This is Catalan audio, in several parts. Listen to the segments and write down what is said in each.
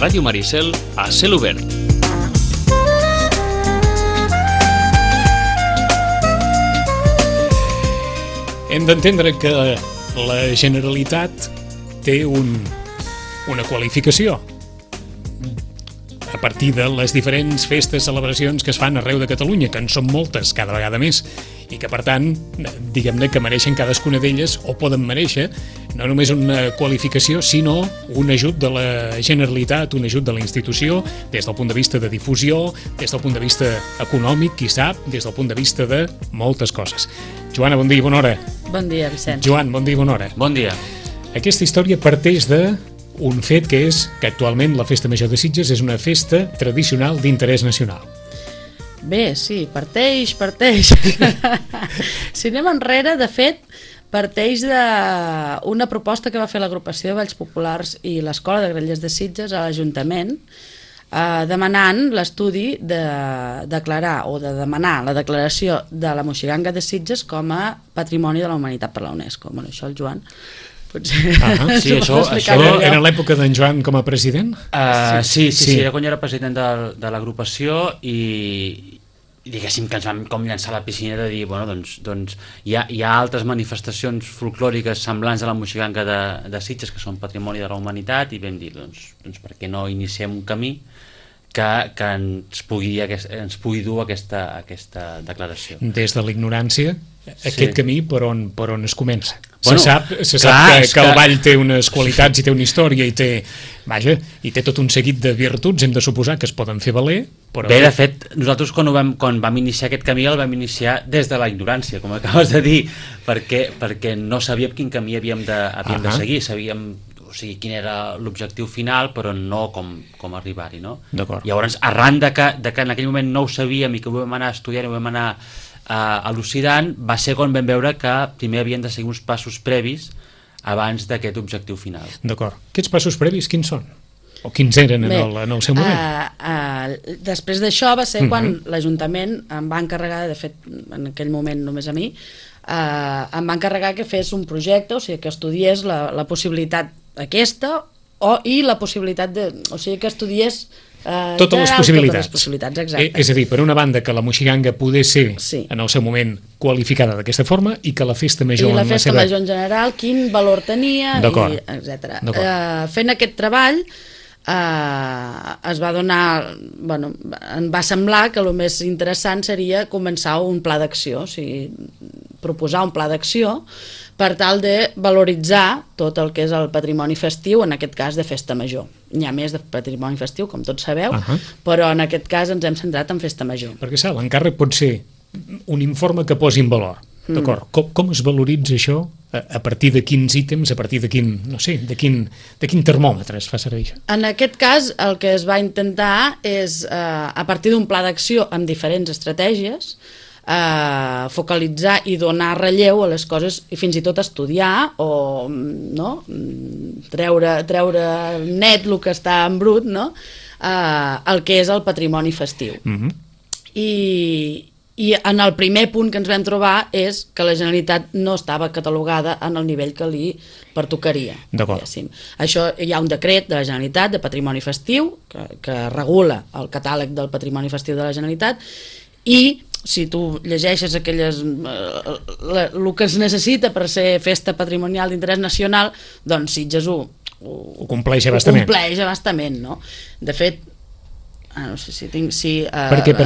Ràdio Maricel a cel obert. Hem d'entendre que la Generalitat té una qualificació a partir de les diferents festes, celebracions que es fan arreu de Catalunya, que en són moltes, cada vegada més, i que, per tant, diguem-ne que mereixen cadascuna d'elles, o poden mereixer, no només una qualificació, sinó un ajut de la Generalitat, un ajut de la institució, des del punt de vista de difusió, des del punt de vista econòmic, qui sap, des del punt de vista de moltes coses. Joana, bon dia i bona hora. Bon dia, Vicenç. Joan, bon dia i bona hora. Bon dia. Aquesta història parteix d'un fet que és que actualment la Festa Major de Sitges és una festa tradicional d'interès nacional. Bé, sí, parteix. Si anem enrere, de fet, parteix d'una proposta que va fer l'agrupació de Balls Populars i l'Escola de Grallers de Sitges a l'Ajuntament, demanant l'estudi de declarar o de demanar la declaració de la Moixiganga de Sitges com a Patrimoni de la Humanitat per la UNESCO. Bueno, això el Joan potser... Sí, això era l'època d'en Joan com a president? Sí, era quan jo era president de l'agrupació i diguéssim que ens vam com llançar a la piscina de dir, bueno, doncs hi ha altres manifestacions folclòriques semblants a la Moixiganga de Sitges que són patrimoni de la humanitat i vam dir, doncs per què no iniciem un camí que ens pugui dur aquesta declaració. Des de l'ignorància, aquest camí per on es comença. Bueno, se sap que el ball té unes qualitats i té una història i té tot un seguit de virtuts, hem de suposar que es poden fer valer, però... Bé, de fet, nosaltres quan vam iniciar aquest camí el vam iniciar des de la ignorància, com acabes de dir, perquè no sabíem quin camí havíem de seguir, sabíem quin era l'objectiu final, però no com arribar-hi, no? D'acord. Llavors, arran de que en aquell moment no ho sabíem i que ho vam anar estudiant i ho vam anar elucidant, va ser quan vam veure que primer havien de seguir uns passos previs abans d'aquest objectiu final. D'acord. Aquests passos previs quins són? O quins eren en el seu moment? Després d'això va ser quan l'Ajuntament em va encarregar, de fet en aquell moment només a mi, em va encarregar que fes un projecte, o sigui que estudiés la possibilitat aquesta i la possibilitat que estudiés totes les possibilitats, exacte. És a dir, per una banda que la Moixiganga pogués ser en el seu moment qualificada d'aquesta forma i que la festa major i la festa major en general quin valor tenia, etc. Fent aquest treball es va donar, em va semblar que el més interessant seria començar un pla d'acció, o sigui, proposar un pla d'acció per tal de valoritzar tot el que és el patrimoni festiu, en aquest cas de festa major. N'hi ha més de patrimoni festiu, com tots sabeu, però en aquest cas ens hem centrat en festa major. Perquè l'encàrrec pot ser un informe que posi en valor. D'acord. Com es valoritza això? A partir de quins ítems, a partir de quin, de quin termòmetre es fa servir això? En aquest cas, el que es va intentar és, a partir d'un pla d'acció amb diferents estratègies, focalitzar i donar relleu a les coses i fins i tot estudiar o treure net el que està en brut, el que és el patrimoni festiu. I en el primer punt que ens vam trobar és que la Generalitat no estava catalogada en el nivell que li pertocaria. Això hi ha un decret de la Generalitat de patrimoni festiu que regula el catàleg del patrimoni festiu de la Generalitat i si tu llegeixes el que es necessita per ser festa patrimonial d'interès nacional, doncs Sitges ho compleix abastament. No? De fet, no sé si tinc... En aquest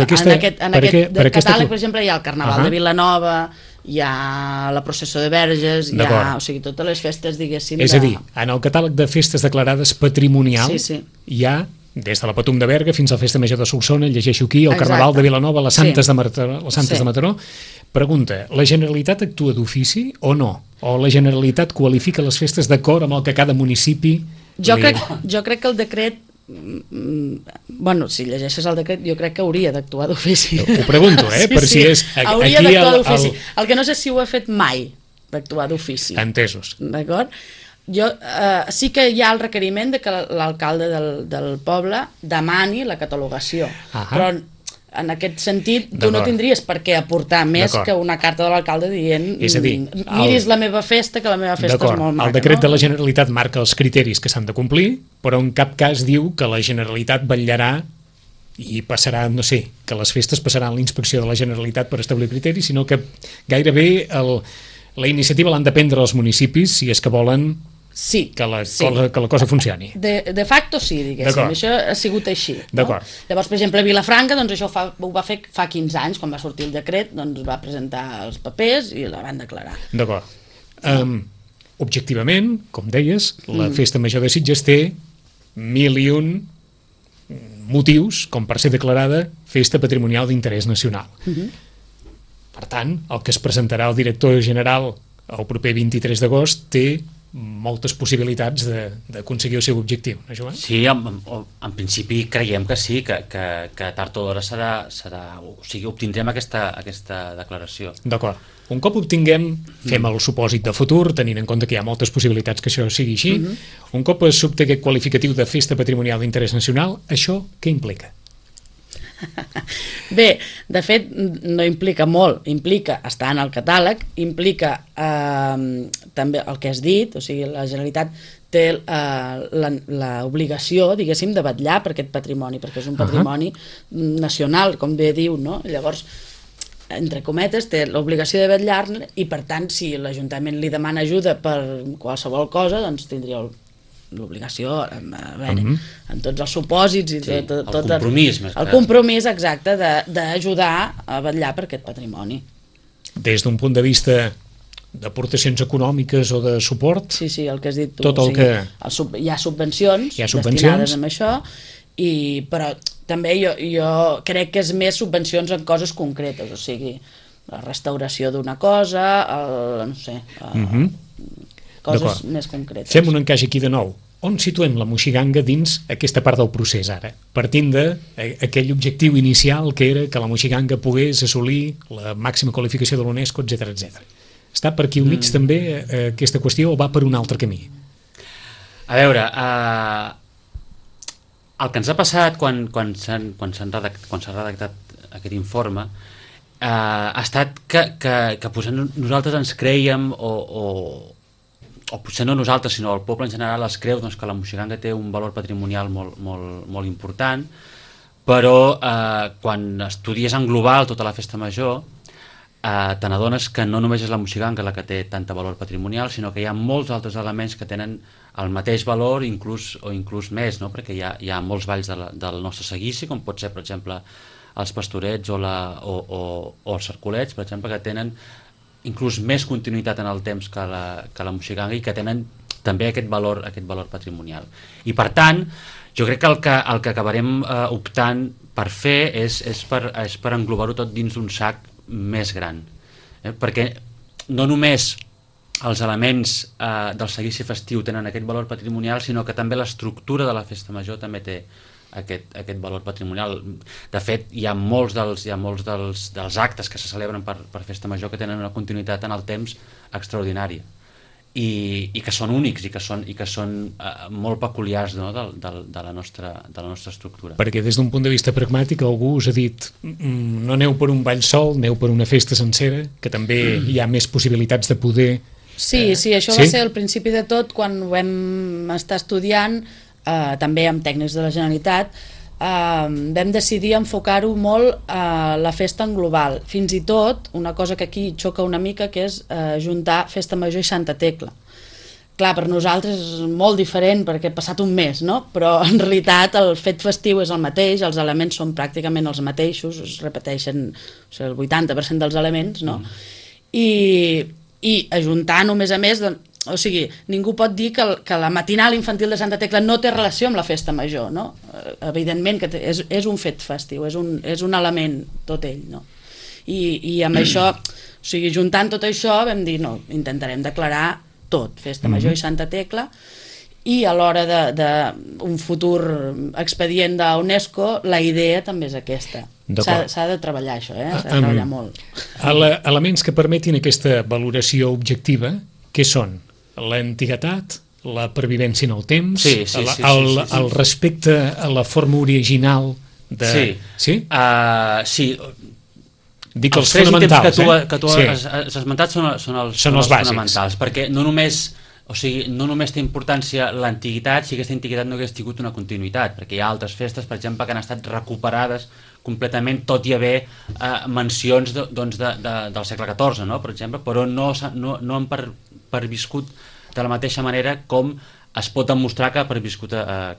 catàleg, per exemple, hi ha el Carnaval de Vilanova, hi ha la processó de Verges, hi ha, totes les festes, diguéssim... És a dir, en el catàleg de festes declarades patrimonials hi ha des de la Patum de Berga fins a la Festa Major de Solsona, llegeixo aquí, el Carnaval de Vilanova, les Santes de Mataró. Pregunta, la Generalitat actua d'ofici o no? O la Generalitat qualifica les festes d'acord amb el que cada municipi... Jo crec que el decret... si llegeixes el decret, jo crec que hauria d'actuar d'ofici. Ho pregunto, per si és... Hauria d'actuar d'ofici. El que no sé si ho ha fet mai, d'actuar d'ofici. Entesos. D'acord? Sí que hi ha el requeriment de que l'alcalde del poble demani la catalogació, però en aquest sentit, tu no tindries per què aportar més que una carta de l'alcalde dient miris la meva festa, que la meva festa és molt maca. El decret de la Generalitat marca els criteris que s'han de complir, però en cap cas diu que la Generalitat vetllarà i passarà, no sé, que les festes passaran la inspecció de la Generalitat per establir criteris, sinó que gairebé la iniciativa l'han de prendre els municipis si és que volen que la cosa funcioni. De facto sí, diguéssim, això ha sigut així. Llavors, per exemple, a Vilafranca, doncs això ho va fer fa 15 anys, quan va sortir el decret, doncs va presentar els papers i la van declarar. D'acord. Objectivament, com deies, la Festa Major de Sitges té 1.001 motius com per ser declarada Festa Patrimonial d'Interès Nacional. Per tant, el que es presentarà al director general el proper 23 d'agost té moltes possibilitats d'aconseguir el seu objectiu, no, Joan? Sí, en principi creiem que sí, que tard o d'hora o sigui, obtindrem aquesta declaració. D'acord. Un cop obtinguem, fem el supòsit de futur, tenint en compte que hi ha moltes possibilitats que això sigui així, un cop s'obté aquest qualificatiu de Festa Patrimonial d'Interès Nacional, això què implica? Bé, de fet no implica molt, implica estar en el catàleg, implica també el que has dit, o sigui, la Generalitat té l'obligació, diguéssim, de vetllar per aquest patrimoni, perquè és un patrimoni nacional, com bé diu, no? Llavors, entre cometes, té l'obligació de vetllar-ne i, per tant, si l'Ajuntament li demana ajuda per qualsevol cosa, doncs tindria l'obligació, en tots els supòsits i tot el compromís, el compromís exacte d'ajudar a vetllar per aquest patrimoni. Des d'un punt de vista d'aportacions econòmiques o de suport? Sí, el que has dit tu. Tot el que... Hi ha subvencions destinades a això, però també jo crec que és més subvencions en coses concretes, o sigui, la restauració d'una cosa, no sé, coses més concretes. Fem un encaix aquí de nou. On situem la moixiganga dins aquesta part del procés ara? Partint d'aquell objectiu inicial que era que la moixiganga pogués assolir la màxima qualificació de l'UNESCO, etc. Està per aquí al mig també aquesta qüestió o va per un altre camí? A veure, el que ens ha passat quan s'ha redactat aquest informe ha estat que nosaltres ens creiem o potser no nosaltres, sinó el poble en general es creu que la moixiganga té un valor patrimonial molt important, però quan estudies en global tota la festa major te n'adones que no només és la moixiganga la que té tant valor patrimonial, sinó que hi ha molts altres elements que tenen el mateix valor o inclús més, no? Perquè hi ha molts balls del nostre seguici, com pot ser, per exemple, els pastorets o els cercolets, per exemple, que tenen inclús més continuïtat en el temps que la moixiganga i que tenen també aquest valor patrimonial. I per tant, jo crec que el que acabarem optant per fer és per englobar-ho tot dins d'un sac més gran. Perquè no només els elements del seguici festiu tenen aquest valor patrimonial, sinó que també l'estructura de la festa major també té aquest valor patrimonial. De fet, hi ha molts dels actes que se celebren per festa major que tenen una continuïtat en el temps extraordinària i que són únics i que són molt peculiars, no, de la nostra estructura. Perquè des d'un punt de vista pragmàtic algú us ha dit no aneu per un ball sol, aneu per una festa sencera, que també hi ha més possibilitats de poder... Sí, això va ser el principi de tot quan ho vam estar estudiant, també amb tècnics de la Generalitat, vam decidir enfocar-ho molt a la festa en global, fins i tot una cosa que aquí xoca una mica, que és juntar Festa Major i Santa Tecla. Clar, per nosaltres és molt diferent perquè ha passat un mes, no? Però en realitat el fet festiu és el mateix, els elements són pràcticament els mateixos, es repeteixen el 80% dels elements, no? I ajuntant-ho, a més, o sigui, ningú pot dir que la matinal infantil de Santa Tecla no té relació amb la festa major, no? Evidentment que és un fet festiu, és un element tot ell, no? I amb això, o sigui, juntant tot això vam dir, no, intentarem declarar tot, festa major i Santa Tecla, i a l'hora d'un futur expedient d'UNESCO la idea també és aquesta. S'ha de treballar això, s'ha de treballar molt. Elements que permetin aquesta valoració objectiva, què són? L'antiguitat, la pervivència en el temps, el respecte a la forma original Sí? Sí. Dic els fonamentals, que tu has esmentat són els fonamentals, perquè no només té importància l'antiguitat si aquesta antiguitat no hagués tingut una continuïtat, perquè hi ha altres festes, per exemple, que han estat recuperades completament, tot i haver mencions del segle XIV, no? Per exemple, però no han perviscut de la mateixa manera com es pot demostrar que ha perviscut a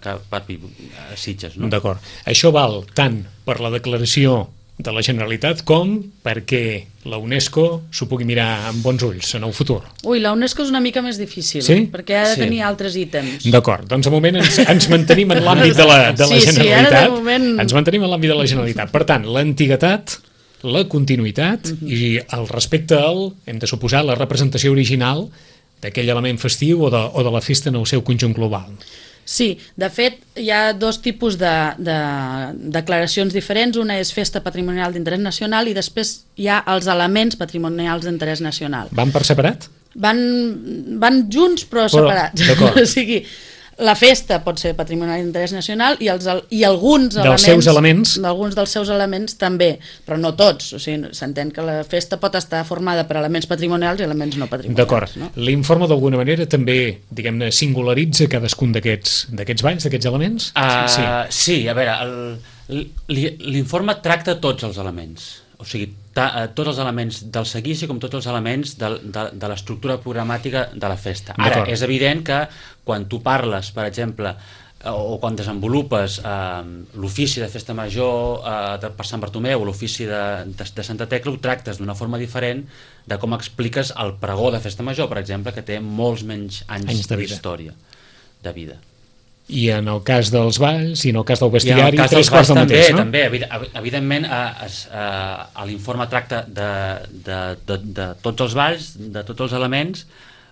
Sitges. No? D'acord. Això val tant per la declaració de la Generalitat com perquè la UNESCO s'ho pugui mirar amb bons ulls en el futur. Ui, la UNESCO és una mica més difícil, perquè ha de tenir altres ítems. D'acord, doncs de moment ens mantenim en l'àmbit de la Generalitat. Ens mantenim en l'àmbit de la Generalitat. Per tant, l'antiguitat, la continuïtat i el respecte hem de suposar, la representació original d'aquell element festiu o de la festa en el seu conjunt global. Sí, de fet, hi ha dos tipus de declaracions diferents. Una és festa patrimonial d'interès nacional i després hi ha els elements patrimonials d'interès nacional. Van per separat? Van junts però separats. O sigui, la festa pot ser patrimonial d'interès nacional i alguns dels seus elements també, però no tots. O sigui, s'entén que la festa pot estar formada per elements patrimonials i elements no patrimonials. D'acord. No? L'informe d'alguna manera també, diguem-ne, singularitza cadascun d'aquests balls, d'aquests elements? Sí, a veure, l'informe tracta tots els elements. O sigui, tots els elements del seguici com tots els elements de l'estructura programàtica de la festa. Ara, és evident que quan tu parles, per exemple, o quan desenvolupes l'ofici de festa major per Sant Bartomeu o l'ofici de Santa Tecla, ho tractes d'una forma diferent de com expliques el pregó de festa major, per exemple, que té molts menys anys d'història, de vida. I en el cas dels balls i en el cas del bestiari, tres quarts del mateix, no? També, evidentment, l'informe tracta de tots els balls, de tots els elements,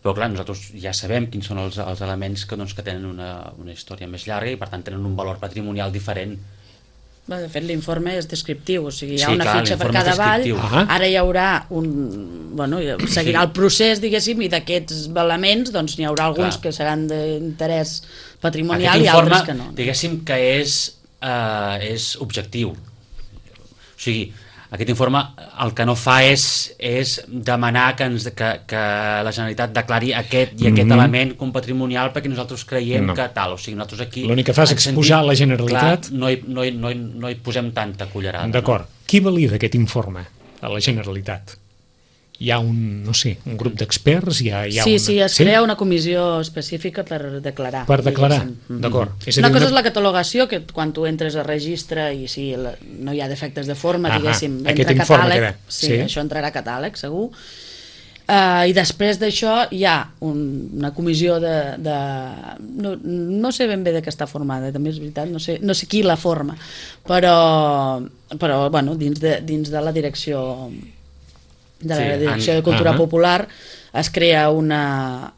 però clar, nosaltres ja sabem quins són els elements que tenen una història més llarga i per tant tenen un valor patrimonial diferent. De fet, l'informe és descriptiu, o sigui, hi ha una fitxa per cada ball, ara hi haurà seguirà el procés, diguéssim, i d'aquests elements doncs n'hi haurà alguns que seran d'interès patrimonial i altres que no. Diguéssim que és objectiu. O sigui, aquest informe el que no fa és demanar que la Generalitat declari aquest i aquest element com patrimonial perquè nosaltres creiem que tal. O sigui, nosaltres aquí... L'únic que fa és exposar la Generalitat... Clar, no hi posem tanta cullerada. D'acord. Qui valida aquest informe a la Generalitat? Hi ha un grup d'experts? Sí, es crea una comissió específica per declarar. Per declarar, d'acord. Una cosa és la catalogació, que quan tu entres a registre i si no hi ha defectes de forma, diguéssim, entra catàleg, això entrarà a catàleg, segur. I després d'això hi ha una comissió no sé ben bé de què està formada, també és veritat, no sé qui la forma, però dins de la direcció de Cultura Popular es crea una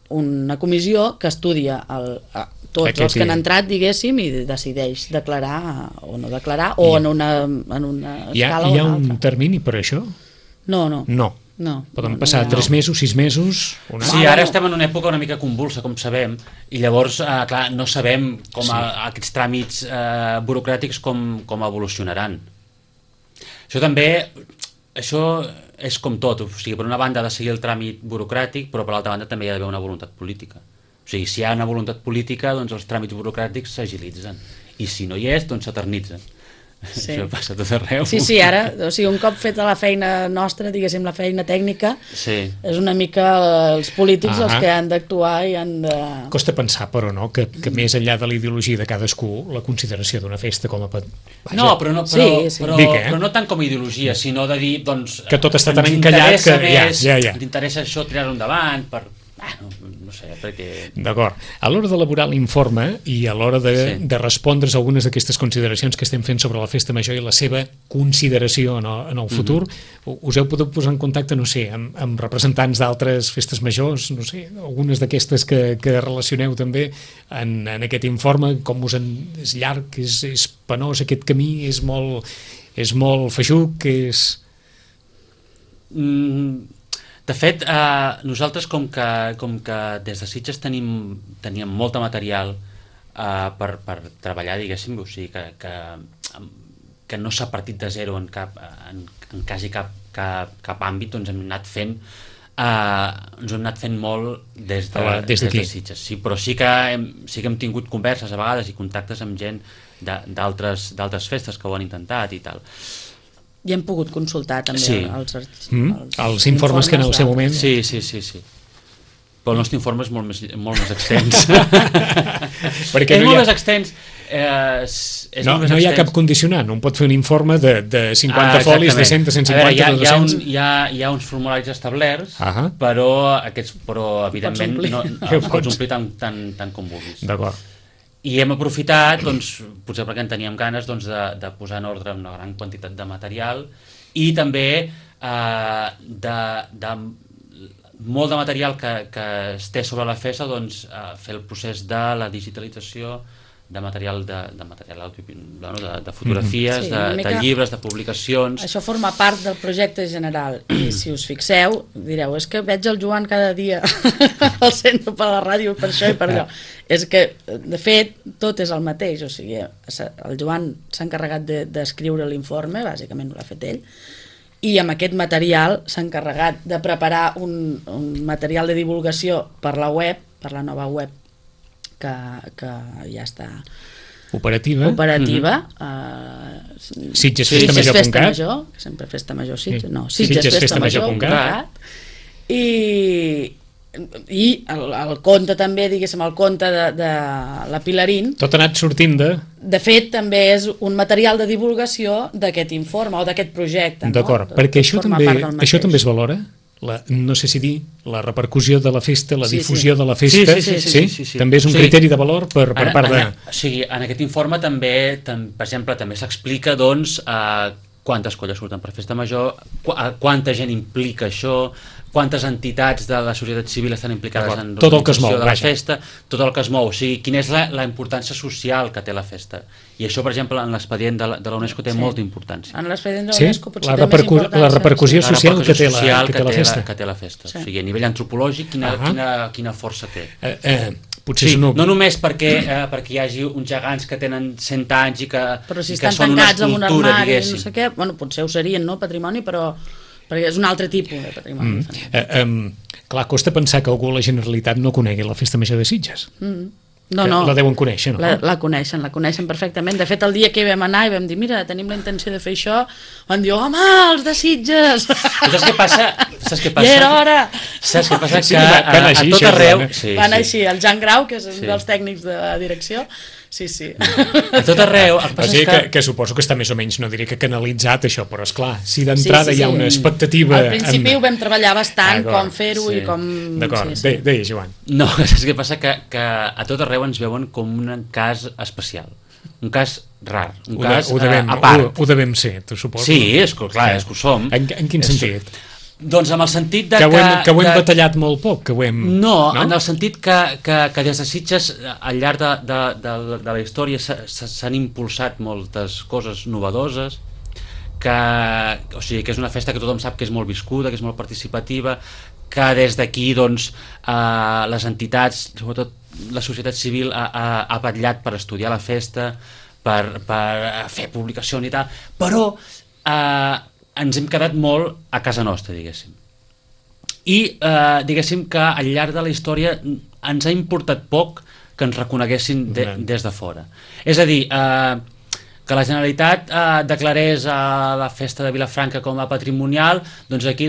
comissió que estudia tots els que han entrat, diguéssim, i decideix declarar o no declarar, o en una escala o en una altra. Hi ha un termini per això? No. Poden passar 3 mesos, 6 mesos... Sí, ara estem en una època una mica convulsa, com sabem, i llavors, clar, no sabem com aquests tràmits burocràtics com evolucionaran. Això és com tot, o sigui, per una banda ha de seguir el tràmit burocràtic, però per l'altra banda també hi ha d'haver una voluntat política. O sigui, si hi ha una voluntat política, doncs els tràmits burocràtics s'agilitzen, i si no hi és, doncs s'eternitzen. Això passa tot arreu. Sí, ara, o sigui, un cop feta la feina nostra, diguéssim, la feina tècnica, és una mica els polítics els que han d'actuar i han de... Costa pensar, però, no?, que més enllà de la ideologia de cadascú, la consideració d'una festa com a... No, però no tant com a ideologia, sinó de dir, doncs... Que tot està tan encallat que... Ens interessa això, tirar-ho endavant, per... no sé, perquè... D'acord. A l'hora d'elaborar l'informe i a l'hora de respondre's a algunes d'aquestes consideracions que estem fent sobre la festa major i la seva consideració en el futur, us heu pogut posar en contacte, no sé, amb representants d'altres festes majors, no sé, algunes d'aquestes que relacioneu també en aquest informe, com és llarg, és penós aquest camí, és molt feixuc, és... De fet, nosaltres com que des de Sitges teníem molt de material per treballar, diguéssim, o sigui que que no s'ha partit de zero en quasi cap àmbit, doncs hem anat fent ens ho hem anat fent molt des de Sitges. Sí, però sí que hem tingut converses a vegades i contactes amb gent d'altres festes que ho han intentat i tal. I hem pogut consultar també els informes que en el seu moment... Sí. Però el nostre informe és molt més extens. És molt més extens. No hi ha cap condicionant. Un pot fer un informe de 50 folis, de 100, de 150, de 200... Hi ha uns formularis establerts, però evidentment no pots omplir tant com vulguis. D'acord. I hem aprofitat, doncs, potser perquè en teníem ganes, doncs, de posar en ordre una gran quantitat de material i també de molt de material que es té sobre la festa, doncs, fer el procés de la digitalització de material de fotografies, de llibres, de publicacions. Això forma part del projecte general i si us fixeu, direu, és que veig el Joan cada dia al centre per la ràdio, per això i per allò. És que, de fet, tot és el mateix, o sigui, el Joan s'ha encarregat d'escriure l'informe, bàsicament ho l'ha fet ell, i amb aquest material s'ha encarregat de preparar un material de divulgació per la web, per la nova web que ja està operativa. Sitgesfestamajor.cat, sempre Festamajor Sitges, no, Sitgesfestamajor.cat, i el conte també, diguéssim, el conte de la Pilarín. Tot ha anat sortint de... De fet, també és un material de divulgació d'aquest informe o d'aquest projecte. D'acord, perquè això també es valora? No sé si dir, la repercussió de la festa, la difusió de la festa, també és un criteri de valor per part de... O sigui, en aquest informe també, per exemple, també s'explica, doncs, quantes colles surten per festa major, quanta gent implica això, quantes entitats de la societat civil estan implicades en l'organització de la festa, tot el que es mou, o sigui, quina és la importància social que té la festa. I això, per exemple, en l'expedient de la UNESCO té molta importància. En l'expedient de la UNESCO potser té més importància. La repercussió social que té la festa. O sigui, a nivell antropològic, quina força té. No només perquè hi hagi uns gegants que tenen 100 anys i que són una escultura, però si estan tancats en un armari, no sé què, bueno, potser ho serien, no, patrimoni, però perquè és un altre tipus de patrimoni. Clar, costa pensar que algú a la Generalitat no conegui la Festa Major de Sitges. No. La deuen conèixer, no? La coneixen perfectament. De fet, el dia que hi vam anar i vam dir, mira, tenim la intenció de fer això, van dir, home, els de Sitges! Saps què passa? I era hora! Saps què passa? Que a tot arreu... Van així, el Jan Grau, que és un dels tècnics de la direcció, sí. A tot arreu... O sigui que suposo que està més o menys, no diré que canalitzat això, però esclar, si d'entrada hi ha una expectativa... Al principi ho vam treballar bastant, com fer-ho i com... D'acord, deia Joan. No, saps què passa? Que a tot arreu ens veuen com un cas especial, un cas rar, un cas a part. Ho devem ser, tu suposo. Sí, clar, és que ho som. En quin sentit? Doncs amb el sentit de que ho hem batallat molt poc, que ho hem... No, en el sentit que des de Sitges al llarg de la història s'han impulsat moltes coses novedoses, o sigui, que és una festa que tothom sap que és molt viscuda, que és molt participativa, que des d'aquí, doncs, les entitats, sobretot la societat civil, ha vetllat per estudiar la festa, per fer publicacions i tal, però ens hem quedat molt a casa nostra, diguéssim. I diguéssim que al llarg de la història ens ha importat poc que ens reconeguessin des de fora. És a dir, que la Generalitat declarés la festa de Vilafranca com a patrimonial, doncs aquí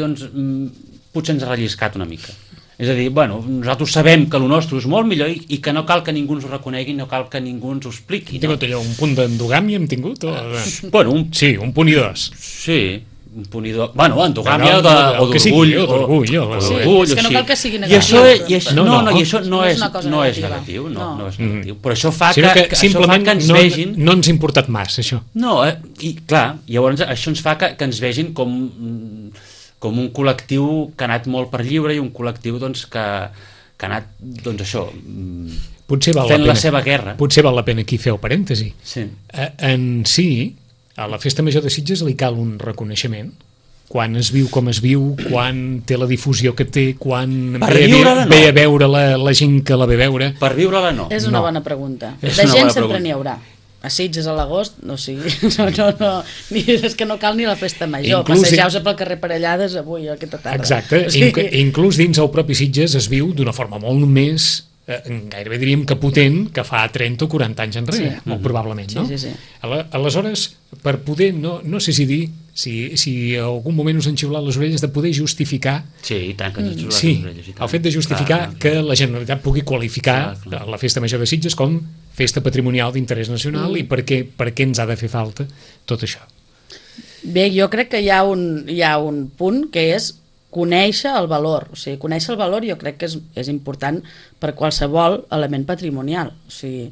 potser ens ha relliscat una mica. És a dir, nosaltres sabem que el nostre és molt millor i que no cal que ningú ens ho reconegui, no cal que ningú ens ho expliqui. Hem tingut allò, un punt d'endogàmia hem tingut? Sí, un punt i dos. Sí, un punt i dos. Endogàmia o d'orgull. És que no cal que sigui negatiu. I això no és negatiu, no és negatiu. Però això fa que ens vegin... No ens ha importat massa, això. No, i clar, llavors això ens fa que ens vegin com un col·lectiu que ha anat molt per lliure i un col·lectiu que ha anat, això, fent la seva guerra. Potser val la pena aquí fer el parèntesi. En si, a la Festa Major de Sitges li cal un reconeixement, quan es viu com es viu, quan té la difusió que té, quan ve a veure la gent que la ve a veure. Per viure-la no. És una bona pregunta. De gent sempre n'hi haurà. a Sitges a l'agost, no, és que no cal ni la festa major, passejeu-se pel carrer Parellades avui, aquesta tarda. Exacte, inclús dins el propi Sitges es viu d'una forma molt més, gairebé diríem que potent, que fa 30 o 40 anys enrere, molt probablement, no? Sí. Aleshores, per poder, no sé si dir, si algun moment us han xiulat les orelles de poder justificar... Sí, i tant que ens han xiulat les orelles. El fet de justificar que la Generalitat pugui qualificar la Festa Major de Sitges com festa patrimonial d'interès nacional i per què ens ha de fer falta tot això. Bé, jo crec que hi ha un punt que és conèixer el valor. O sigui, conèixer el valor jo crec que és important per qualsevol element patrimonial. O sigui,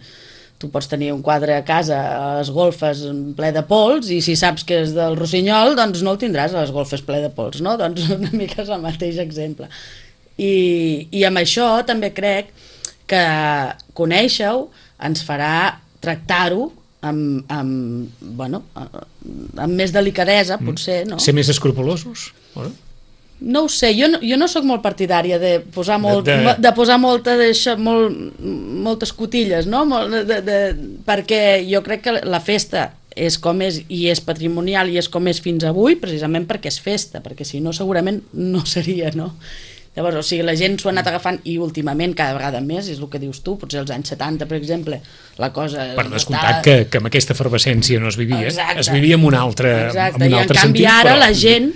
tu pots tenir un quadre a casa a les golfes ple de pols i si saps que és del Rossinyol, doncs no el tindràs a les golfes ple de pols, no? Doncs una mica és el mateix exemple. I amb això també crec que conèixer-ho ens farà tractar-ho amb més delicadesa, potser, no? Ser més escrupulosos? No ho sé, jo no sóc molt partidària de posar moltes cotilles, no? Perquè jo crec que la festa és com és i és patrimonial i és com és fins avui precisament perquè és festa, perquè si no segurament no seria, no? Llavors, o sigui, la gent s'ho ha anat agafant i últimament cada vegada més, és el que dius tu, potser als anys 70, per exemple, la cosa... Per descomptat que amb aquesta efervescència no es vivia, es vivia en un altre sentit. I en canvi ara la gent,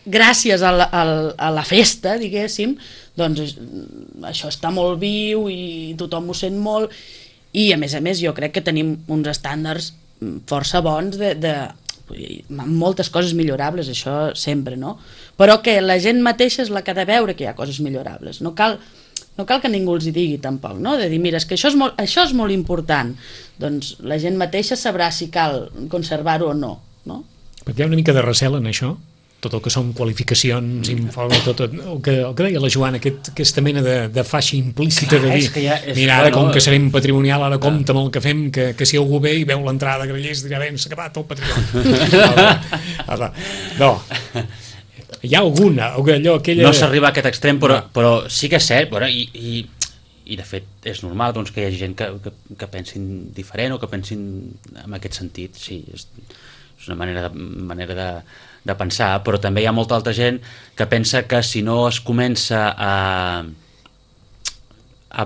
gràcies a la festa, diguéssim, doncs això està molt viu i tothom ho sent molt i a més jo crec que tenim uns estàndards força bons amb moltes coses millorables, això sempre, no? Però que la gent mateixa és la que ha de veure que hi ha coses millorables. No cal que ningú els hi digui tampoc, no? De dir, mira, és que això és molt important. Doncs la gent mateixa sabrà si cal conservar-ho o no, no? Perquè hi ha una mica de recel en això? Tot el que són qualificacions, informes, tot el que deia la Joana, aquesta mena de faixa implícita de dir, mira, ara com que serem patrimonial, ara compta amb el que fem, que si algú ve i veu l'entrada de Grallers dirà, bé, s'ha acabat el patrimoni. No, hi ha alguna, aquella... No s'arriba a aquest extrem, però sí que és cert, i de fet és normal doncs, que hi hagi gent que pensin diferent o que pensin en aquest sentit, sí, és una manera de pensar, però també hi ha molta altra gent que pensa que si no es comença a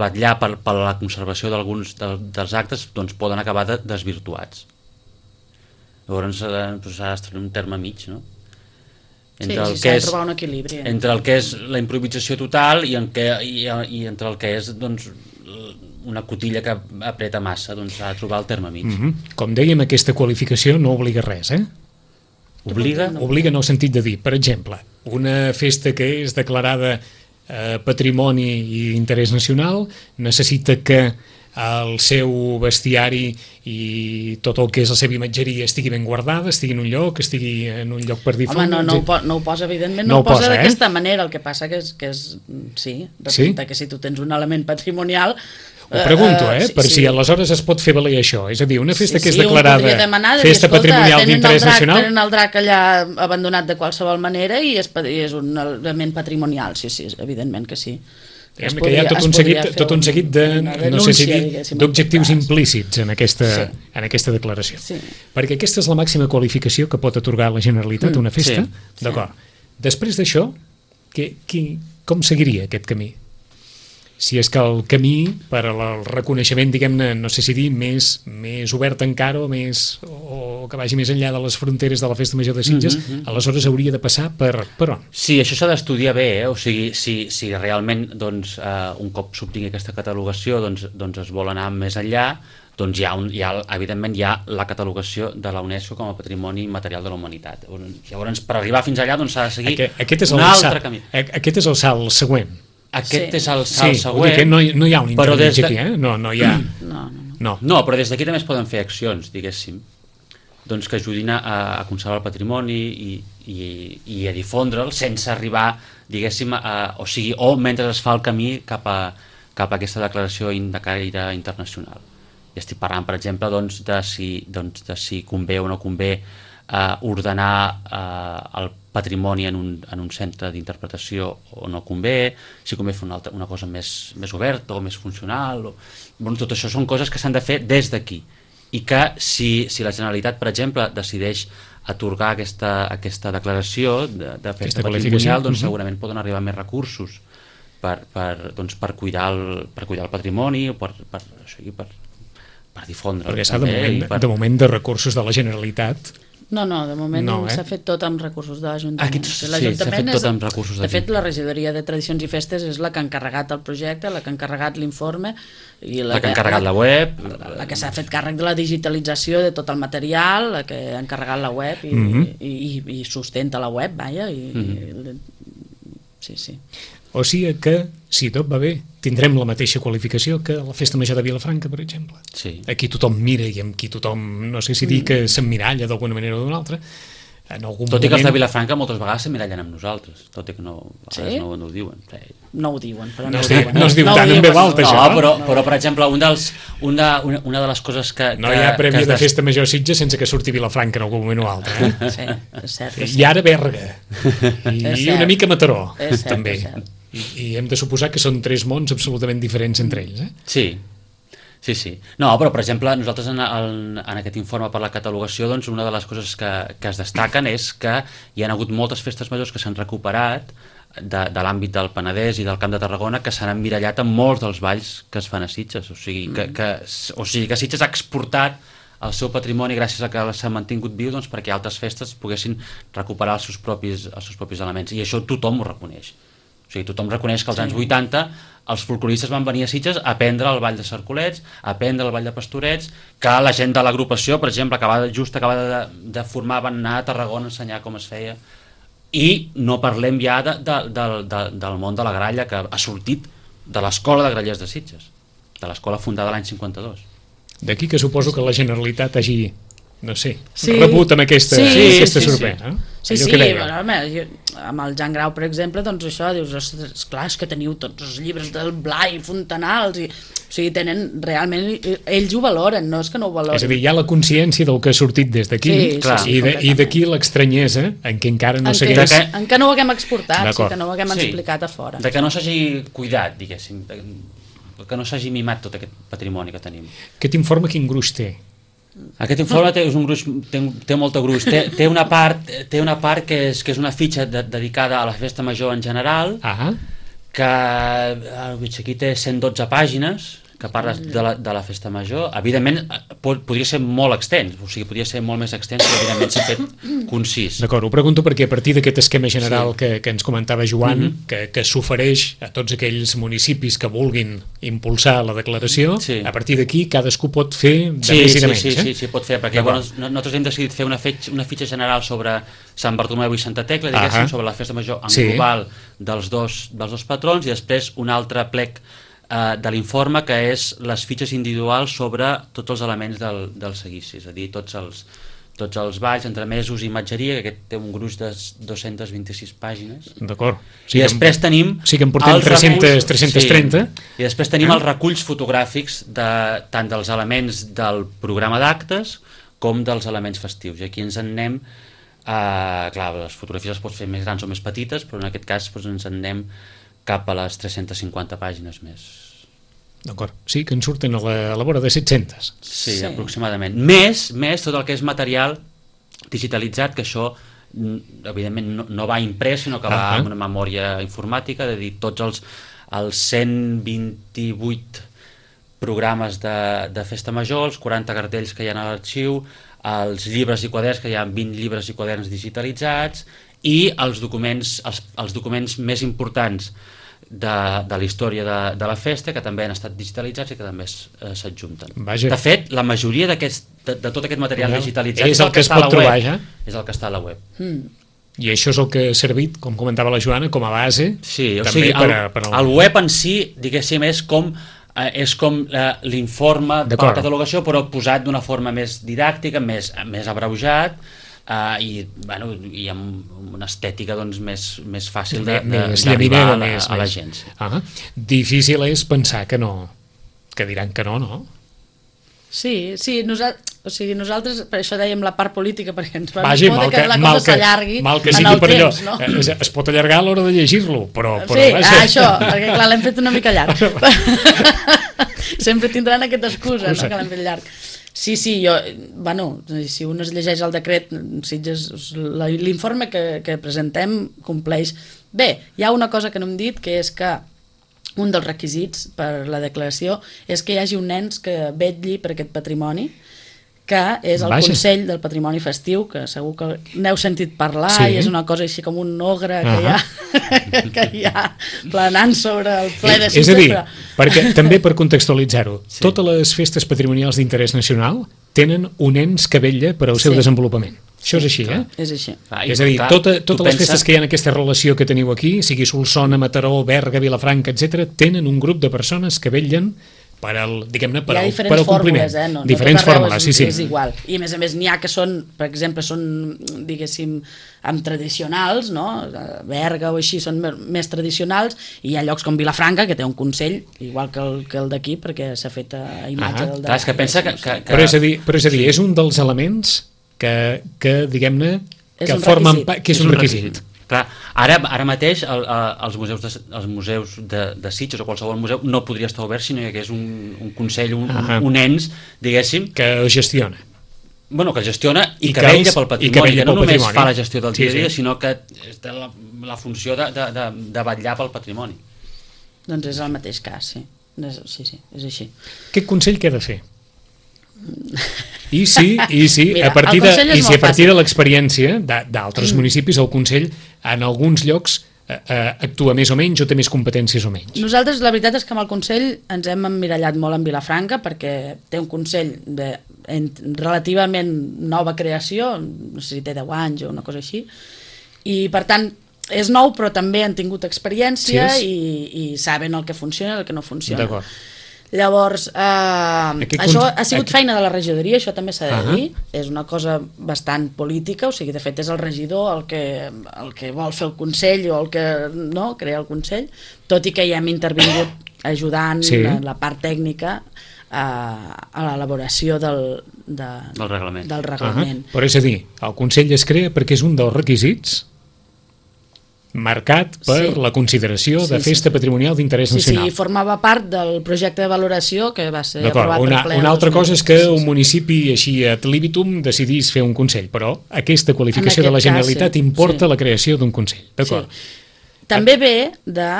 vetllar per la conservació d'alguns dels actes, doncs poden acabar desvirtuats. Llavors s'ha d'establir un terme mig, no? S'ha de trobar un equilibri. Entre el que és la improvisació total i entre el que és doncs, una cotilla que apreta massa, doncs s'ha de trobar el terme mig. Com dèiem, aquesta qualificació no obliga res, Obliga? Obliga en el sentit de dir, per exemple, una festa que és declarada patrimoni i interès nacional necessita que el seu bestiari i tot el que és la seva imatgeria estigui ben guardada, estigui en un lloc, estigui en un lloc per difunt. Home, no ho posa, evidentment, no ho posa d'aquesta manera, el que passa que és sí, resulta que si tu tens un element patrimonial... Ho pregunto, per si aleshores es pot fer valer això. És a dir, una festa que és declarada festa patrimonial d'interès nacional... Tenen el drac allà abandonat de qualsevol manera i és un element patrimonial, sí, evidentment que sí. Que hi ha tot un seguit d'objectius implícits en aquesta declaració. Perquè aquesta és la màxima qualificació que pot atorgar la Generalitat a una festa. D'acord. Després d'això, com seguiria aquest camí? Si és que el camí per al reconeixement, diguem-ne, no sé si dir, més obert encara o que vagi més enllà de les fronteres de la Festa Major de Sitges, aleshores hauria de passar per on? Sí, això s'ha d'estudiar bé, o sigui, si realment doncs, un cop s'obtingui aquesta catalogació doncs es vol anar més enllà, doncs evidentment hi ha la catalogació de la UNESCO com a patrimoni material de la humanitat. Llavors, per arribar fins allà doncs s'ha de seguir un altre camí. Aquest és el salt següent. Aquest és el salt següent. Que no hi ha un intermig aquí, No hi ha... No, però des d'aquí també es poden fer accions, diguéssim, doncs que ajudin a conservar el patrimoni i a difondre'l sense arribar, diguéssim, o mentre es fa el camí cap a aquesta declaració de caire internacional. I estic parlant, per exemple, de si convé o no convé ordenar el patrimoni en un centre d'interpretació o no convé, si convé fer una cosa més oberta o més funcional. Tot això són coses que s'han de fer des d'aquí i que si la Generalitat, per exemple, decideix atorgar aquesta declaració de festa patrimonial, doncs segurament poden arribar més recursos per cuidar el patrimoni o per difondre. Perquè de moment de recursos de la Generalitat... No, de moment s'ha fet tot amb recursos de l'Ajuntament. S'ha fet tot amb recursos de fet, la regidoria de Tradicions i Festes és la que ha encarregat el projecte, la que ha encarregat l'informe i la que ha encarregat la web, la que s'ha fet càrrec de la digitalització de tot el material, la que ha encarregat la web i sustenta la web, vaja. Sí. O sigui que, si tot va bé, tindrem la mateixa qualificació que la Festa Major de Vilafranca, per exemple. Sí. Aquí tothom mira i amb qui tothom, no sé si dir que s'emmiralla d'alguna manera o d'una altra. Tot i que els de Vilafranca moltes vegades s'emmirallen amb nosaltres, tot i que no ho diuen. No ho diuen, però no es diu tant en veu alta, això. Però per exemple, una de les coses que... No hi ha prèvia de Festa Major a Sitges sense que surti Vilafranca en algun moment o altre. Sí, és cert. I ara Berga. I una mica Mataró, també. I hem de suposar que són tres mons absolutament diferents entre ells, Sí. No, però per exemple, nosaltres en aquest informe per la catalogació, doncs una de les coses que es destaquen és que hi ha hagut moltes festes majors que s'han recuperat de l'àmbit del Penedès i del Camp de Tarragona, que s'han emmirallat amb molts dels balls que es fan a Sitges. O sigui que Sitges ha exportat el seu patrimoni gràcies a que s'ha mantingut viu, doncs, perquè altres festes poguessin recuperar els seus propis elements, i això tothom ho reconeix. O sigui, tothom reconeix que als anys 80 els folcloristes van venir a Sitges a aprendre el ball de Cercolets, a aprendre el ball de Pastorets, que la gent de l'agrupació, per exemple, acabava de formar, van anar a Tarragona a ensenyar com es feia, i no parlem ja del món de la gralla, que ha sortit de l'escola de grallers de Sitges, de l'escola fundada l'any 52. D'aquí que suposo que la Generalitat hagi, no sé, rebut amb aquesta sorpresa. Sí, amb el Jan Grau, per exemple, doncs això, dius, esclar, és que teniu tots els llibres del Blai, Fontanals, o sigui, tenen realment, ells ho valoren, no és que no ho valoren. És a dir, hi ha la consciència del que ha sortit des d'aquí, i d'aquí l'estranyesa en què encara no s'hagués... En què no ho haguem exportat, que no ho haguem explicat a fora. De que no s'hagi cuidat, diguéssim, que no s'hagi mimat tot aquest patrimoni que tenim. Aquest informe quin gruix té? Aquest informe té molta gruix. Té una part que és una fitxa dedicada a la festa major en general, que aquí té 112 pàgines, que parles de la festa major. Evidentment, podria ser molt extens, o sigui, podria ser molt més extens, però evidentment s'ha fet concís. D'acord, ho pregunto perquè a partir d'aquest esquema general que ens comentava Joan, que s'ofereix a tots aquells municipis que vulguin impulsar la declaració, a partir d'aquí cadascú pot fer de més i de menys. Sí, pot fer, perquè nosaltres hem decidit fer una fitxa general sobre Sant Bartomeu i Santa Tecla, diguéssim, sobre la festa major en global dels dos patrons, i després un altre plec de l'informe, que és les fitxes individuals sobre tots els elements del seguici, és a dir, tots els balls, entremesos i imatgeria, que aquest té un gruix de 226 pàgines. D'acord. I després tenim... Sí que en portem 330. I després tenim els reculls fotogràfics tant dels elements del programa d'actes com dels elements festius. I aquí ens en anem... Clar, les fotografies les pots fer més grans o més petites, però en aquest cas ens en anem cap a les 350 pàgines més. D'acord, sí, que en surten a la vora de 700. Sí, aproximadament. Més tot el que és material digitalitzat, que això evidentment no va imprès, sinó que va amb una memòria informàtica, de dir, tots els 128 programes de festa major, els 40 cartells que hi ha a l'arxiu, els llibres i quaderns, que hi ha 20 llibres i quaderns digitalitzats, i els documents més importants de la història de la festa, que també han estat digitalitzats i que també s'adjunten. De fet, la majoria de tot aquest material digitalitzat és el que es pot trobar, ja? És el que està a la web. I això és el que ha servit, com comentava la Joana, com a base. Sí, o sigui, el web en si, diguéssim, és com l'informe per la catalogació, però posat d'una forma més didàctica, més abreujat, i amb una estètica més fàcil d'arribar a la gent. Difícil és pensar que diran que no? Sí, nosaltres per això dèiem la part política, perquè ens va que la cosa s'allargui en el temps, no? Es pot allargar a l'hora de llegir-lo, però... Sí, això, perquè clar, l'hem fet una mica llarg. Sempre tindran aquesta excusa, no?, que l'hem fet llarg. Sí, si un es llegeix el decret, l'informe que presentem compleix. Bé, hi ha una cosa que no hem dit, que és que un dels requisits per la declaració és que hi hagi un ens que vetlli per aquest patrimoni, que és el Consell del Patrimoni Festiu, que segur que n'heu sentit parlar, i és una cosa així com un ogre que hi ha planant sobre el ple de cites. És a dir, perquè també per contextualitzar-ho, totes les festes patrimonials d'interès nacional tenen un ens que vetlla per al seu desenvolupament. Això és així, És així. És a dir, totes les festes que hi ha en aquesta relació que teniu aquí, sigui Solsona, Mataró, Berga, Vilafranca, etc., tenen un grup de persones que vetllen per al, diguem-ne, per al compliment. No diferents fórmules, sí. És igual. I a més n'hi ha que són, per exemple, diguéssim, amb tradicionals, no? Berga o així són més tradicionals, i hi ha llocs com Vilafranca, que té un consell, igual que el d'aquí, perquè s'ha fet a imatge del és que pensa que... Però és a dir, és un dels elements que diguem-ne, que formen part, que és un requisit. Clar, ara mateix els museus de Sitges o qualsevol museu no podria estar obert si no hi hagués un consell, un ens, diguéssim, que gestiona. Bueno, que gestiona i que vetlla pel patrimoni, que no només fa la gestió del dia a dia, sinó que té la funció de vetllar pel patrimoni. Doncs és el mateix cas, sí. Sí, és així. Aquest consell què ha de fer? I sí, mira, a partir de l'experiència d'altres municipis, el Consell en alguns llocs actua més o menys o té més competències o menys. Nosaltres la veritat és que amb el Consell ens hem emmirallat molt en Vilafranca, perquè té un Consell de relativament nova creació, no sé si té 10 anys o una cosa així, i per tant és nou però també han tingut experiència i saben el que funciona i el que no funciona. D'acord. Llavors, això ha sigut feina de la regidoria, això també s'ha de dir, és una cosa bastant política, o sigui, de fet és el regidor el que vol fer el Consell o el que no, crea el Consell, tot i que hi hem intervingut ajudant la part tècnica a l'elaboració del reglament. Però és a dir, el Consell es crea perquè és un dels requisits marcat per la consideració de festa patrimonial d'interès nacional. Sí, formava part del projecte de valoració que va ser aprovat per ple. Una altra cosa és que un municipi així ad libitum decidís fer un consell, però aquesta qualificació de la Generalitat importa la creació d'un consell. D'acord. També ve de...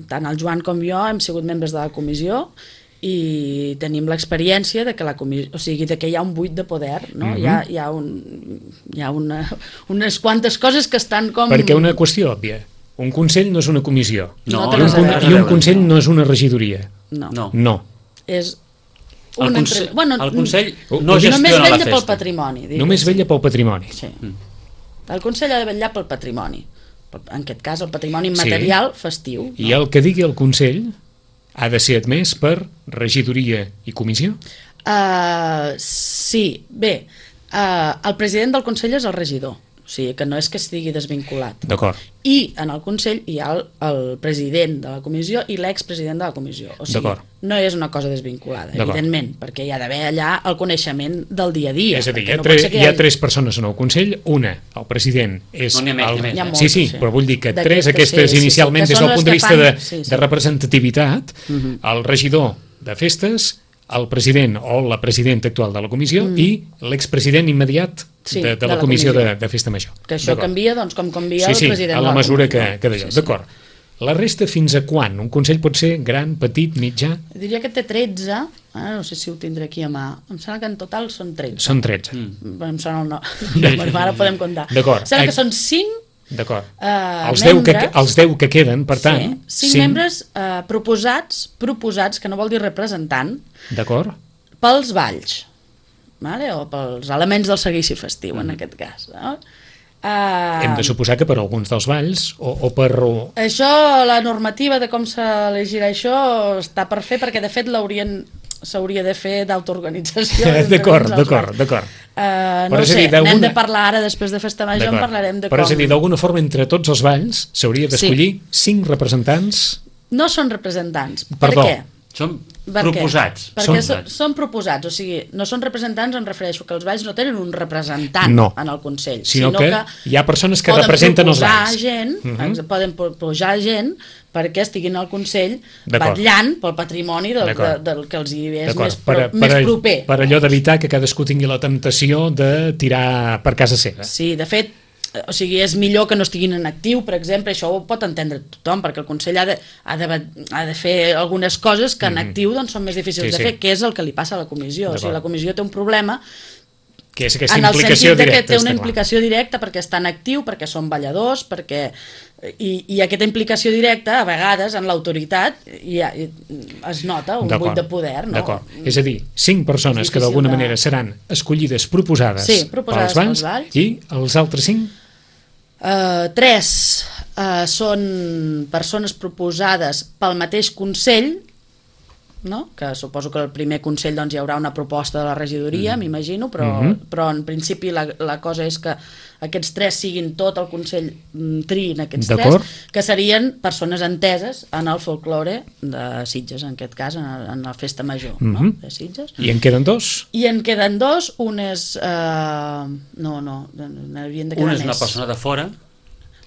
tant el Joan com jo hem sigut membres de la comissió i tenim l'experiència de que hi ha un buit de poder, no? Hi ha unes quantes coses que estan com... Perquè una qüestió òbvia, un consell no és una comissió i un consell no és una regidoria. No. És el consell no gestiona la festa. Pel patrimoni. Només vetlla pel patrimoni. Sí. El consell ha de vetllar pel patrimoni, en aquest cas el patrimoni immaterial festiu. I el que digui el consell ha de ser admès per regidoria i comissió? Sí, bé, el president del Consell és el regidor, o sigui que no és que estigui desvinculat. D'acord. I en el Consell hi ha el president de la comissió i l'expresident de la comissió, o sigui, no és una cosa desvinculada, evidentment, perquè hi ha d'haver allà el coneixement del dia a dia. És a dir, hi ha 3 persones en el Consell, una, el president és... No n'hi ha més. Sí, però vull dir que 3 aquestes inicialment des del punt de vista de representativitat, el regidor de festes, el president o la presidenta actual de la comissió i l'expresident immediat de la comissió de Festa Major. Que això canvia, doncs, com canvia el president de la comissió. Sí, a la mesura que d'allò. D'acord. La resta fins a quan? Un consell pot ser gran, petit, mitjà? Diria que té 13, no sé si ho tindré aquí a mà. Em sembla que en total són 13. Són 13. Em sona el nom. Ara podem comptar. D'acord. Em sembla que són 5 D'acord. Els 10 que queden, per tant... 5 membres proposats, que no vol dir representant, pels balls, o pels elements del seguici festiu, en aquest cas. Hem de suposar que per alguns dels balls o per... Això, la normativa de com s'elegirà això està per fer, perquè de fet s'hauria de fer d'autoorganització. D'acord. No sé, n'hem de parlar ara, després de Festa Major en parlarem de com... Però és a dir, d'alguna forma, entre tots els balls s'hauria d'escollir 5 representants... No són representants. Perdó. Per què? proposats. Perquè són proposats, o sigui, no són representants, em refereixo que els balls no tenen un representant en el Consell, sinó que hi ha persones que representen els balls. Poden proposar gent perquè estiguin al Consell vetllant pel patrimoni del que els hi és més proper. Per allò d'evitar que cadascú tingui la temptació de tirar per casa seva. Sí, de fet, o sigui, és millor que no estiguin en actiu, per exemple, això ho pot entendre tothom, perquè el Consell ha de fer algunes coses que en actiu doncs, són més difícils de fer, que és el que li passa a la comissió. O sigui, la comissió té un problema que és aquesta implicació directa. Que té una implicació directa perquè està en actiu, perquè són balladors, i aquesta implicació directa, a vegades, en l'autoritat, es nota un buit de poder. D'acord. És a dir, 5 persones que d'alguna manera seran escollides, proposades pels balls, i els altres 5? 3 són persones proposades pel mateix Consell, que suposo que al primer Consell hi haurà una proposta de la regidoria, m'imagino, però en principi la cosa és que aquests 3 siguin tot el Consell triïn aquests 3, que serien persones enteses en el folklore de Sitges, en aquest cas, en la festa major de Sitges. I en queden 2? I en queden 2, un és... n'havien de quedar més. Un és una persona de fora.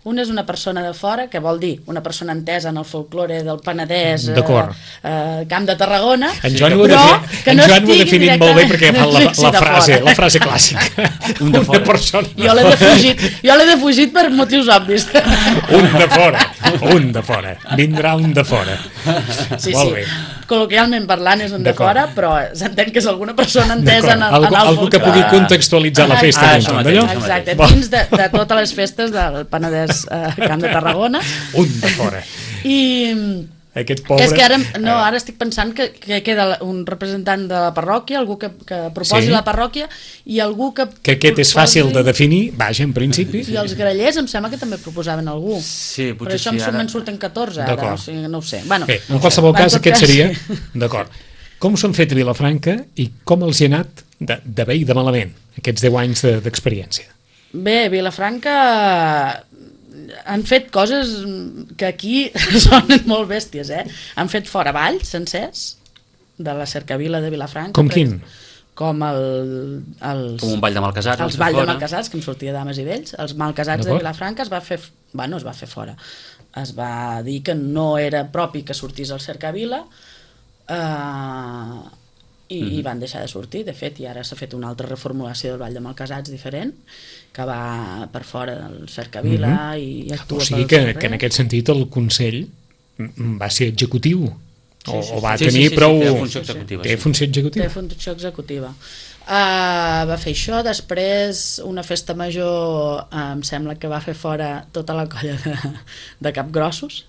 Un és una persona de fora, que vol dir una persona entesa en el folklore del Penedès, Camp de Tarragona, en Joan ho ha definit molt bé perquè fa la frase clàssica. Una persona. Jo l'he defugit per motius obvis. Un de fora. Vindrà un de fora. Molt bé. Col·loquialment parlant és un de fora, però s'entén que és alguna persona entesa en el folklore. Algú que pugui contextualitzar la festa. Exacte, dins de totes les festes del Penedès Camp de Tarragona. Un de fora. I aquest pobre... És que ara estic pensant que queda un representant de la parròquia, algú que proposi la parròquia, i algú que aquest és fàcil de definir, vaja, en principi. I els grallers em sembla que també proposaven algú. Sí, però això me'n surten 14 ara, o sigui, no ho sé. Bé, en qualsevol cas aquest seria... D'acord. Com s'han fet a Vilafranca i com els hi ha anat de bé i de malament aquests 10 anys d'experiència? Bé, Vilafranca han fet coses que aquí sonen molt bèsties, Han fet fora balls sencers de la cercavila de Vilafranca. Com quin? Com com un ball de malcasats. Els balls de malcasats, que en sortia dames i vells. Els malcasats de Vilafranca es va fer fora. Es va dir que no era propi que sortís al cercavila, i van deixar de sortir. De fet, i ara s'ha fet una altra reformulació del ball de malcasats diferent, que va per fora del cercavila i actua pel carrer. O sigui que en aquest sentit el Consell va ser executiu, o va tenir prou... Té funció executiva. Té funció executiva. Té funció executiva. Va fer això, després una festa major, em sembla que va fer fora tota la colla de capgrossos,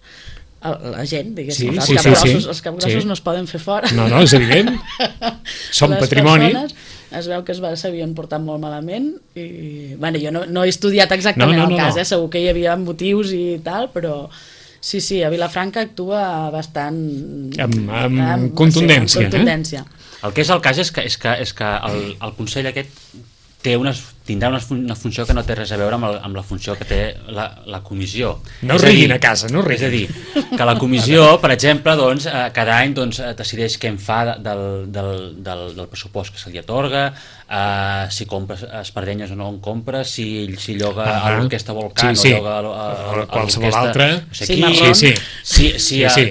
la gent, diguéssim, els capgrossos no es poden fer fora. No, és evident, són patrimoni. Es veu que s'havien portat molt malament i, jo no he estudiat exactament el cas, segur que hi havia motius i tal, però sí, a Vilafranca actua bastant amb contundència. El que és el cas és que el Consell aquest tindrà una funció que no té res a veure amb la funció que té la comissió. No riguin a casa, no riguin. És a dir, que la comissió, per exemple, cada any decideix què en fa del pressupost que se li atorga, si compra espardenyes o no en compra, si lloga a l'orquestra Volcán o lloga a qualsevol altra. Sí.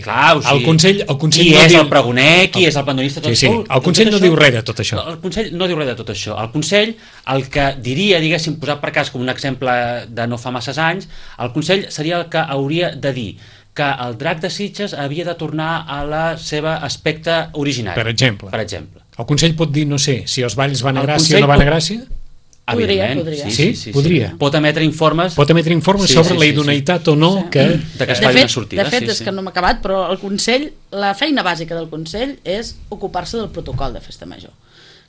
Clar, el Consell qui és el pregoner, qui és el pandonista, el Consell no diu res de tot això. El Consell no diu res de tot això. El Consell, el que diria, diguéssim, posat per cas com un exemple de no fa masses anys, el Consell seria el que hauria de dir que el Drac de Sitges havia de tornar a la seva aspecte originari. Per exemple. El Consell pot dir, no sé, si els balls van a Gràcia o no van a Gràcia? Podria. Sí, podria. Pot emetre informes sobre la idoneïtat o no que es faci una sortida. De fet, és que no m'ha acabat, però el Consell, la feina bàsica del Consell és ocupar-se del protocol de festa major.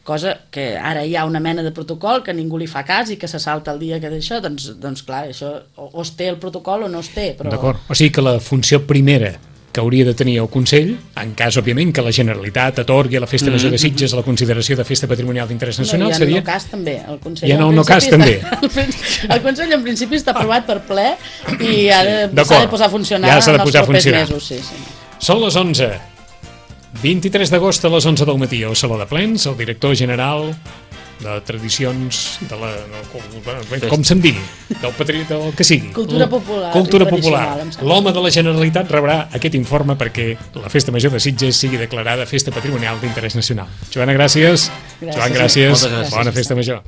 Cosa que ara hi ha una mena de protocol que ningú li fa cas i que se salta el dia que d'això, doncs clar, això o es té el protocol o no es té. D'acord, o sigui que la funció primera que hauria de tenir el Consell, en cas, òbviament, que la Generalitat atorgui a la Festa Major de Sitges a la consideració de Festa Patrimonial d'Interès Nacional, seria... Hi ha no cas també. El Consell en principi està aprovat per ple i s'ha de posar a funcionar en els propers mesos. Són les 11. 23 d'agost a les 11 del matí al Saló de Plens, el director general de tradicions de la... com se'n digui, del que sigui. Cultura popular. Cultura popular. L'home de la Generalitat rebrà aquest informe perquè la Festa Major de Sitges sigui declarada Festa Patrimonial d'Interès Nacional. Joana, gràcies. Joan, gràcies. Moltes gràcies. Bona Festa Major.